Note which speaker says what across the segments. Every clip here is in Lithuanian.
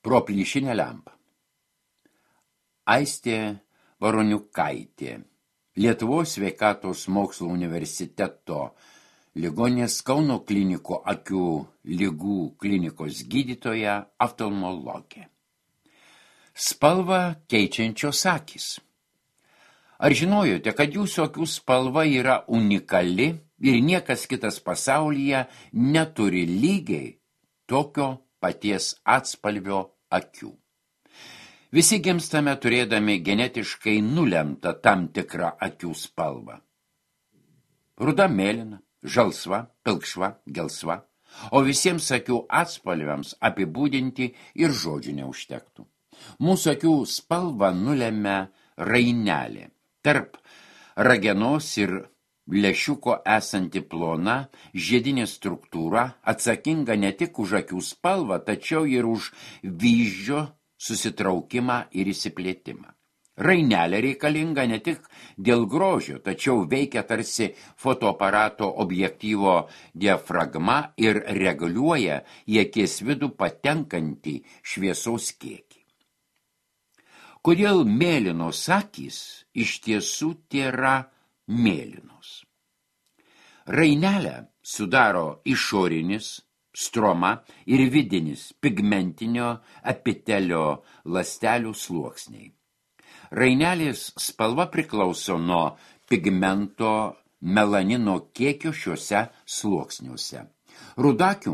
Speaker 1: Pro plyšinę lempą. Aistė Varoniukaitė, Lietuvos sveikatos mokslo universiteto ligoninės Kauno kliniko akių ligų klinikos gydytoja oftalmologė. Spalvą keičiančios akys. Ar žinojote, kad jūsų akių spalva yra unikali ir niekas kitas pasaulyje neturi lygiai tokio paties atspalvio akių? Visi gimstame turėdami genetiškai nulemtą tam tikrą akių spalvą. Ruda, mėlyna, žalsva, pilkšva, gelsva, o visiems akių atspalviams apibūdinti ir žodžių neužtektų. Mūsų akių spalvą nulemia rainelė. Tarp ragenos ir lęšiuko esanti plona žiedinė struktūra atsakinga ne tik už akių spalvą, tačiau ir už vyzdžio susitraukimą ir įsiplėtimą. Rainelė reikalinga ne tik dėl grožio, tačiau veikia tarsi fotoaparato objektyvo diafragma ir reguliuoja į akies vidų patenkantį šviesos kiekį. Kodėl mėlynos akys iš tiesų tėra mėlynos? Rainelę sudaro išorinis, stroma ir vidinis pigmentinio epitelio ląstelių sluoksniai. Rainelės spalva priklauso nuo pigmento melanino kiekio šiuose sluoksniuose. Rudakių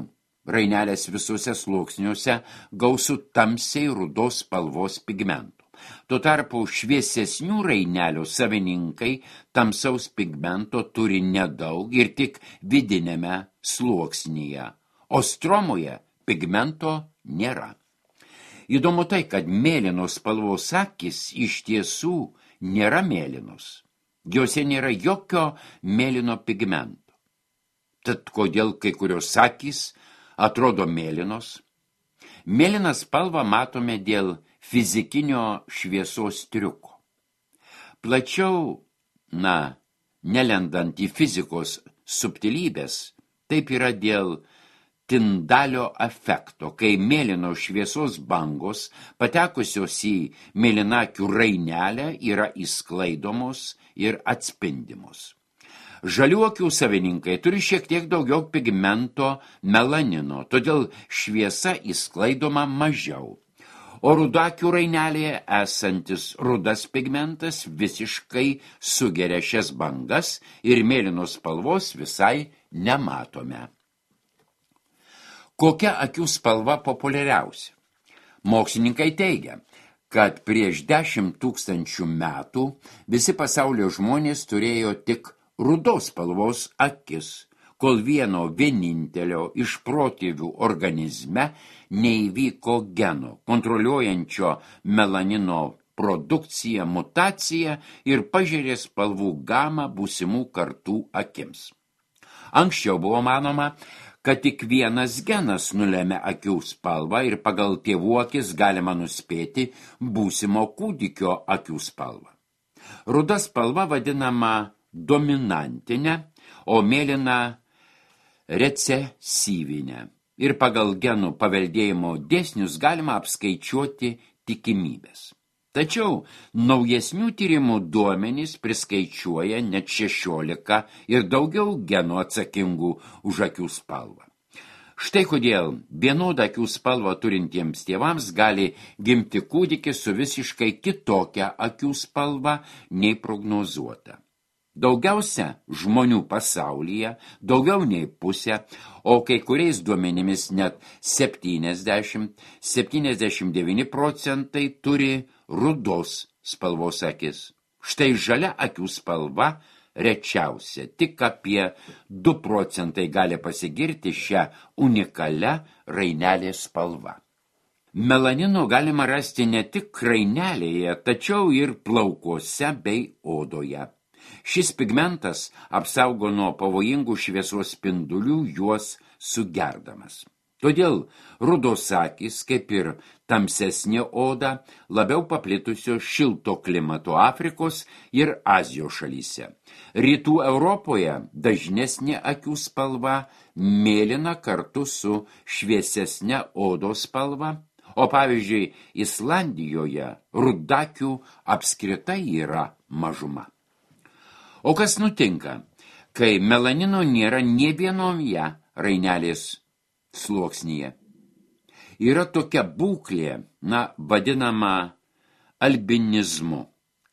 Speaker 1: rainelės visuose sluoksniuose gausu tamsiai rudos spalvos pigmentų. Tuo tarpu šviesesnių rainelių savininkai tamsaus pigmento turi nedaug ir tik vidinėme sluoksnyje, o stromoje pigmento nėra. Įdomu tai, kad mėlynos spalvos akys iš tiesų nėra mėlynos. Jose nėra jokio mėlyno pigmento. Tad kodėl kai kurios akys atrodo mėlynos? Mėlyną spalvą matome dėl fizikinio šviesos triuko. Plačiau, nelendant į fizikos subtilybės, taip yra dėl Tindalio efekto, kai mėlynos šviesos bangos, patekusios į mėlynakių rainelę, yra įsklaidomos ir atspindimos. Žaliuokių savininkai turi šiek tiek daugiau pigmento melanino, todėl šviesa įsklaidoma mažiau. O rudakių rainelėje esantis rudas pigmentas visiškai sugeria šias bangas ir mėlynos spalvos visai nematome. Kokia akių spalva populiariausia? Mokslininkai teigia, kad prieš 10 000 metų visi pasaulio žmonės turėjo tik rudos spalvos akis, kol vieno vienintelio iš protėvių organizme neįvyko geno, kontroliuojančio melanino produkciją, mutaciją ir pažiūrė spalvų gamą būsimų kartų akims. Anksčiau buvo manoma, kad tik vienas genas nulemia akių spalvą ir pagal tėvų akis galima nuspėti būsimo kūdikio akių spalvą. Ruda spalva vadinama dominantinė, o mėlyna recesyvinė. Ir pagal genų paveldėjimo dėsnius galima apskaičiuoti tikimybės. Tačiau naujesnių tyrimų duomenys priskaičiuoja net 16 ir daugiau genų atsakingų už akių spalvą. Štai kodėl vienodą akių spalvą turintiems tėvams gali gimti kūdikis su visiškai kitokia akių spalva nei prognozuota. Daugiausia žmonių pasaulyje, daugiau nei pusė, o kai kuriais duomenimis net 70–79% turi rudos spalvos akis. Štai žalia akių spalva rečiausia, tik apie 2% gali pasigirti šią unikalią rainelės spalvą. Melanino galima rasti ne tik rainelėje, tačiau ir plaukuose bei odoje. Šis pigmentas apsaugo nuo pavojingų šviesos spindulių juos sugerdamas. Todėl rudos akys, kaip ir tamsesnė oda, labiau paplitusios šilto klimato Afrikos ir Azijos šalyse. Rytų Europoje dažnesnė akių spalva mėlyna kartu su šviesesne odos spalva, o pavyzdžiui, Islandijoje rudakių apskritai yra mažuma. O kas nutinka, kai melanino nėra nė vienoje rainelės sluoksnyje? Yra tokia būklė, vadinama albinizmu,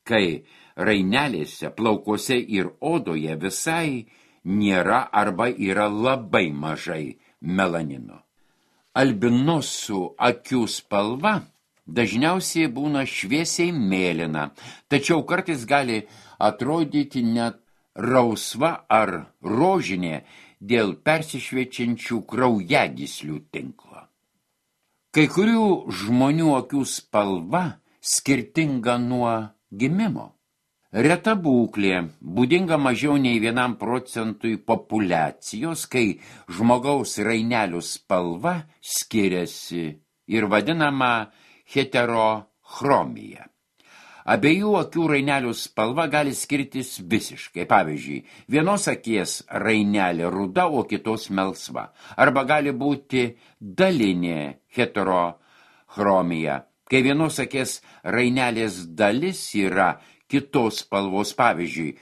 Speaker 1: kai rainelėse, plaukuose ir odoje visai nėra arba yra labai mažai melanino. Albinosų akių spalva dažniausiai būna šviesiai mėlyna, tačiau kartais gali atrodyti net rausva ar rožinė dėl persišviečiančių kraujagyslių tinklo. Kai kurių žmonių akių spalva skirtinga nuo gimimo. Reta būklė, būdinga mažiau nei 1% populiacijos, kai žmogaus rainelių spalva skiriasi ir vadinama heterochromija. Abiejų akių rainelių spalva gali skirtis visiškai. Pavyzdžiui, vienos akies rainelė ruda, o kitos melsva. Arba gali būti dalinė heterochromija, kai vienos akies rainelės dalis yra kitos spalvos. Pavyzdžiui,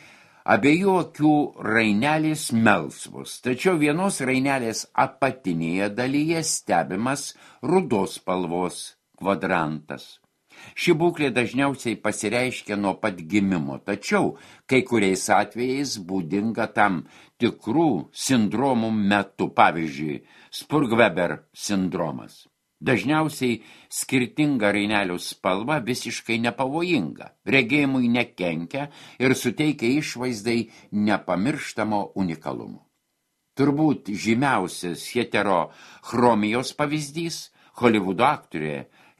Speaker 1: abiejų akių rainelės melsvos, tačiau vienos rainelės apatinėje dalyje stebimas rudos spalvos kvadrantas. Ši būklė dažniausiai pasireiškia nuo pat gimimo, tačiau kai kuriais atvejais būdinga tam tikrų sindromų metu, pavyzdžiui, Spurg-Weber sindromas. Dažniausiai skirtinga rainelių spalva visiškai nepavojinga, regėjimui nekenkia ir suteikia išvaizdai nepamirštamo unikalumo. Turbūt žymiausias heterochromijos pavyzdys – Holivudo aktorė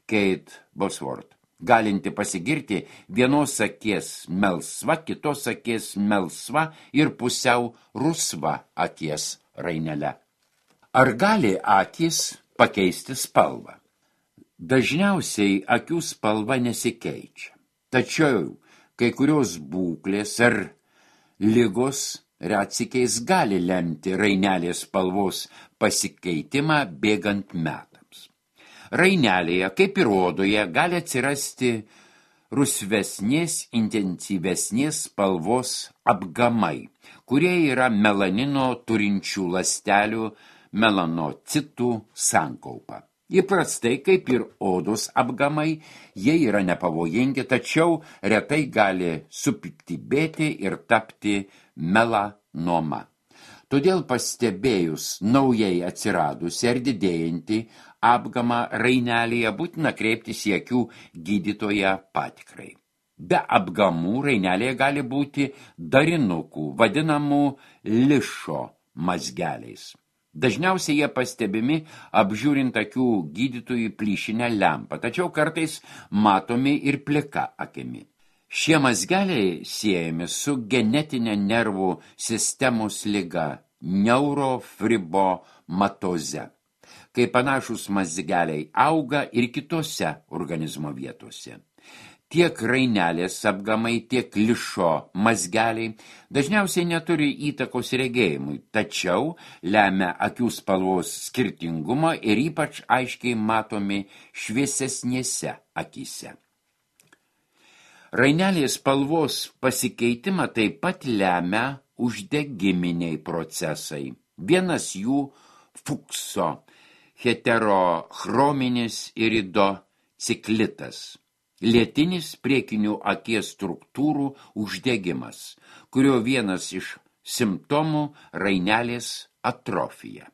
Speaker 1: Kate Bosworth, galinti pasigirti vienos akies melsva, kitos akies melsva ir pusiau rusva akies rainele. Ar gali akys pakeisti spalvą? Dažniausiai akių spalva nesikeičia, tačiau kai kurios būklės ar ligos retsykiais gali lemti rainelės spalvos pasikeitimą bėgant metams. Rainelėje, kaip ir odoje, gali atsirasti rusvesnės, intensyvesnės spalvos apgamai, kurie yra melanino turinčių ląstelių melanocitų sankaupa. Įprastai, kaip ir odos apgamai, jie yra nepavojingi, tačiau retai gali supiktybėti ir tapti melanoma. Todėl pastebėjus naujai atsiradusi ar didėjantį apgamą rainelėje būtina kreiptis į akių gydytoją patikrai. Be apgamų rainelėje gali būti darinukų, vadinamų lišo mazgeliais. Dažniausiai jie pastebimi apžiūrint akių gydytojų plyšinę lempą, tačiau kartais matomi ir plika akimi. Šie mazgeliai siejami su genetinė nervų sistemos liga neurofibromatoze, kai panašus mazgeliai auga ir kitose organizmo vietose. Tiek rainelės apgamai, tiek lišo mazgeliai dažniausiai neturi įtakos regėjimui, tačiau lemia akių spalvos skirtingumą ir ypač aiškiai matomi šviesesnėse akyse. Rainelės spalvos pasikeitimą taip pat lemia uždegiminiai procesai. Vienas jų Fukso heterochrominis iridociklitas, lėtinis priekinių akies struktūrų uždegimas, kurio vienas iš simptomų rainelės atrofija.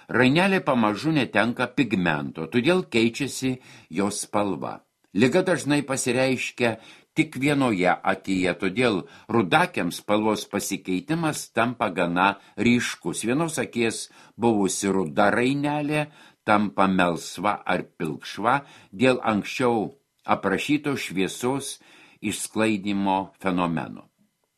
Speaker 1: Rainelė pamažu netenka pigmento, todėl keičiasi jos spalva. Liga dažnai pasireiškia tik vienoje akyje, todėl rudakiams spalvos pasikeitimas tampa gana ryškus. Vienos akies buvusi ruda rainelė tampa melsva ar pilkšva dėl anksčiau aprašyto šviesos išsklaidymo fenomeno.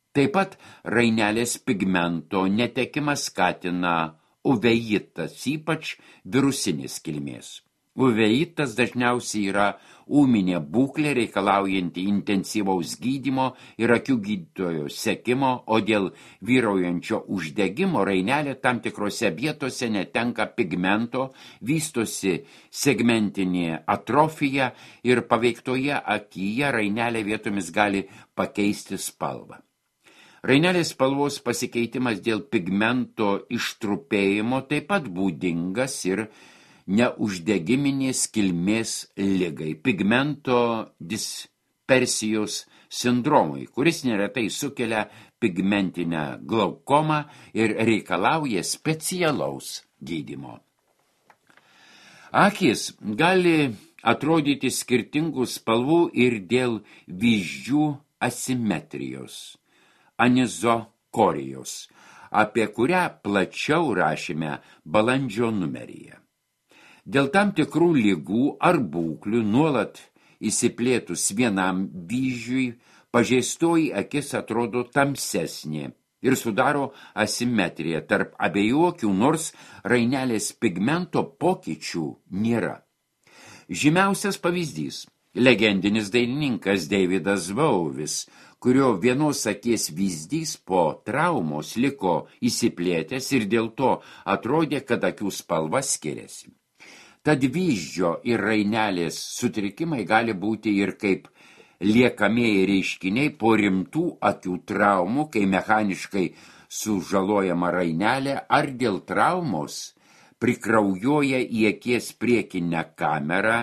Speaker 1: Taip pat rainelės pigmento netekimas skatina uveitas, ypač virusinės kilmės. Uveitas dažniausiai yra ūminė būklė reikalaujanti intensyvaus gydymo ir akių gydytojo sekimo, o dėl vyraujančio uždegimo rainelė tam tikrose vietose netenka pigmento, vystosi segmentinė atrofija ir paveiktoje akyje rainelė vietomis gali pakeisti spalvą. Rainelės spalvos pasikeitimas dėl pigmento ištrupėjimo taip pat būdingas ir neuždegiminės kilmės ligai, pigmento dispersijos sindromui, kuris neretai sukelia pigmentinę glaukomą ir reikalauja specialaus gydymo. Akys gali atrodyti skirtingų spalvų ir dėl vyzdžių asimetrijos, anizokorijos, apie kurią plačiau rašėme balandžio numeryje. Dėl tam tikrų ligų ar būklių nuolat įsiplėtus vienam vyzdžiui, pažeistoji akis atrodo tamsesnė ir sudaro asimetriją tarp abiejų akių, nors rainelės pigmento pokyčių nėra. Žymiausias pavyzdys – legendinis dainininkas Davidas Bowie's, kurio vienos akies vyzdys po traumos liko įsiplėtęs ir dėl to atrodė, kad akių spalva skiriasi. Tad vyzdžio ir rainelės sutrikimai gali būti ir kaip liekamieji reiškiniai po rimtų akių traumų, kai mechaniškai sužalojama rainelė, ar dėl traumos prikraujuoja į akies priekinę kamerą,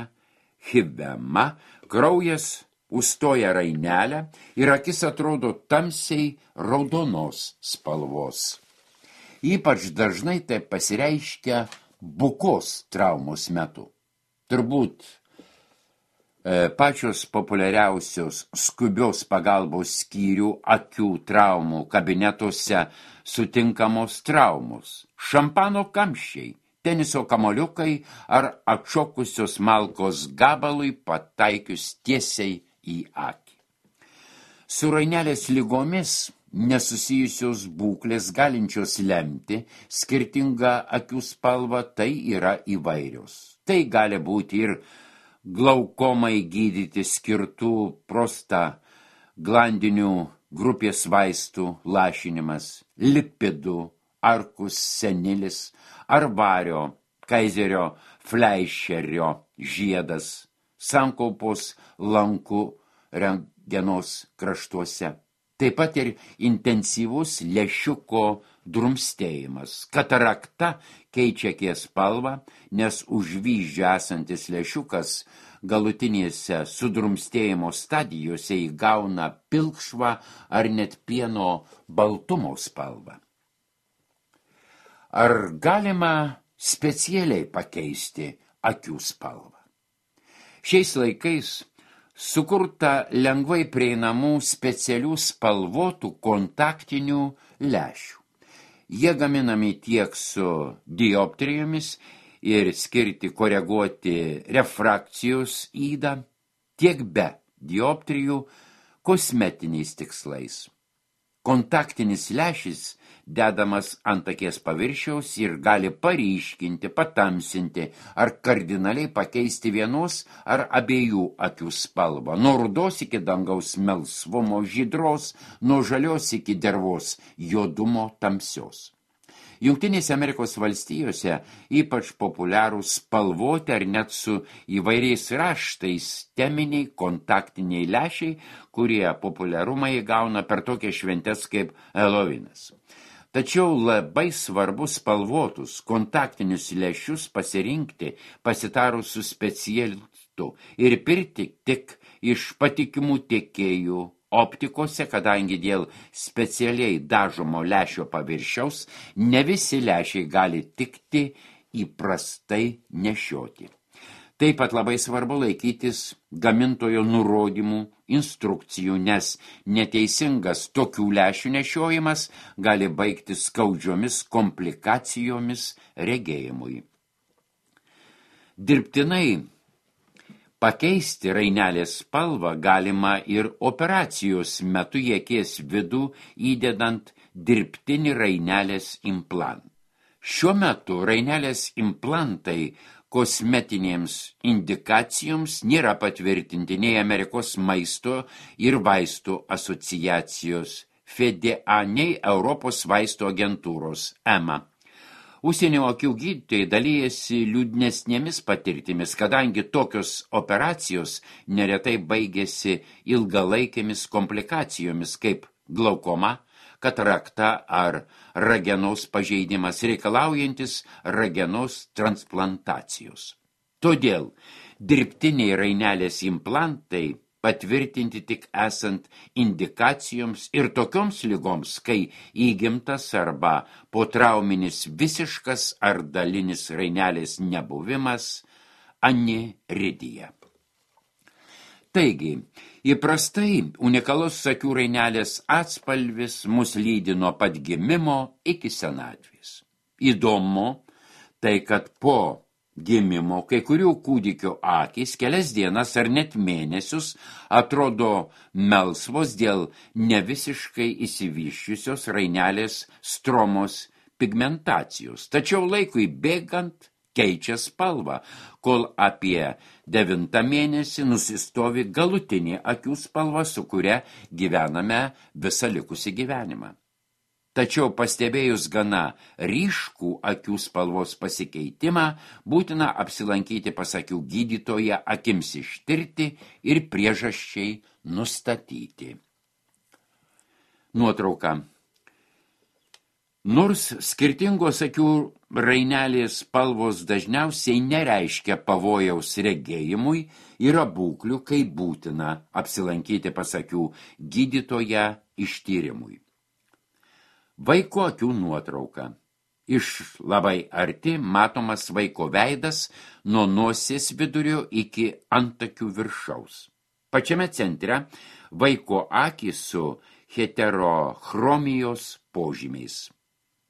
Speaker 1: hibema, kraujas užstoja rainelę ir akis atrodo tamsiai raudonos spalvos. Ypač dažnai tai pasireiškia bukos traumos metu. Turbūt pačios populiariausios skubios pagalbos skyrių akių traumų kabinetuose sutinkamos traumos, šampano kamščiai, teniso kamoliukai ar atšokusios malkos gabalui pataikius tiesiai į akį. Su rainelės ligomis nesusijusios būklės galinčios lemti skirtingą akių spalvą, tai yra įvairios. Tai gali būti ir glaukomai gydyti skirtų prostaglandinių grupės vaistų lašinimas, lipidų, arkus senilis ar vario, kaizerio fleischerio žiedas, sankaupos lankų rentgenos kraštuose. Taip pat ir intensyvus lęšiuko drumstėjimas. Katarakta keičia akies spalvą, nes už vyzdžio esantis lęšiukas galutinėse sudrumstėjimo stadijose įgauna pilkšvą ar net pieno baltumo spalvą. Ar galima specialiai pakeisti akių spalvą? Šiais laikais sukurta lengvai prieinamų specialių spalvotų kontaktinių lęšių. Jie gaminami tiek su dioptrijomis ir skirti koreguoti refrakcijos ydą, tiek be dioptrijų kosmetiniais tikslais. Kontaktinis lęšis dedamas ant akies paviršiaus ir gali paryškinti, patamsinti ar kardinaliai pakeisti vienos ar abiejų akių spalvą, nuo rudos iki dangaus melsvumo žydros, nuo žalios iki dervos juodumo tamsios. Jungtinėse Amerikos valstijose ypač populiarūs spalvoti ar net su įvairiais raštais teminiai kontaktiniai lęšiai, kurie populiarumą įgauna per tokias šventes kaip Helovinas. Tačiau labai svarbu spalvotus kontaktinius lęšius pasirinkti pasitarus su specialistu ir pirkti tik iš patikimų tiekėjų optikose, kadangi dėl specialiai dažomo lęšio paviršiaus ne visi lęšiai gali tikti įprastai nešioti. Taip pat labai svarbu laikytis gamintojo nurodymų, instrukcijų, nes neteisingas tokių lęšių nešiojimas gali baigtis skaudžiomis komplikacijomis regėjimui. Dirbtinai pakeisti rainelės spalvą galima ir operacijos metu į akies vidų įdedant dirbtinį rainelės implantą. Šiuo metu rainelės implantai kosmetinėms indikacijoms nėra patvirtinti nei Amerikos maisto ir vaistų asociacijos FDA, nei Europos vaistų agentūros EMA. Užsienio akių gydytojai dalyjasi liūdnesnėmis patirtimis, kadangi tokios operacijos neretai baigėsi ilgalaikėmis komplikacijomis kaip glaukoma, katarakta ar ragenos pažeidimas reikalaujantis ragenos transplantacijos. Todėl dirbtiniai rainelės implantai patvirtinti tik esant indikacijoms ir tokioms ligoms, kai įgimtas arba potrauminis visiškas ar dalinis rainelės nebuvimas aniridija. Taigi, įprastai unikalus akių rainelės atspalvis mus lydi nuo pat gimimo iki senatvės. Įdomu tai, kad po gimimo kai kurių kūdikio akys kelias dienas ar net mėnesius atrodo melsvos dėl nevisiškai išsivysčiusios rainelės stromos pigmentacijos, tačiau laikui bėgant keičia spalvą, kol apie 9 mėnesį nusistovi galutinė akių spalva, su kuria gyvename visą likusį gyvenimą. Tačiau pastebėjus gana ryškų akių spalvos pasikeitimą, būtina apsilankyti pas akių gydytoją akims ištirti ir priežasčiai nustatyti. Nuotrauka. Nors skirtingos akių rainelės spalvos dažniausiai nereiškia pavojaus regėjimui, yra būklių, kai būtina apsilankyti pas akių gydytoją ištyrimui. Vaiko akių nuotrauka. Iš labai arti matomas vaiko veidas nuo nosies vidurio iki antakių viršaus. Pačiame centre vaiko akys su heterochromijos požymiais.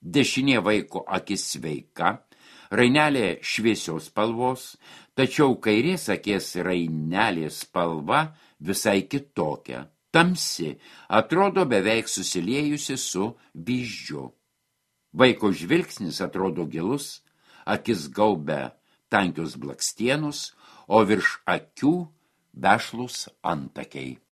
Speaker 1: Dešinė vaiko akis sveika, rainelė šviesios spalvos, tačiau kairės akies rainelės spalva visai kitokia. Tamsi, atrodo beveik susiliejusi su vyzdžiu. Vaiko žvilgsnis atrodo gilus, akis gaubia tankius blakstienus, o virš akių vešlūs antakiai.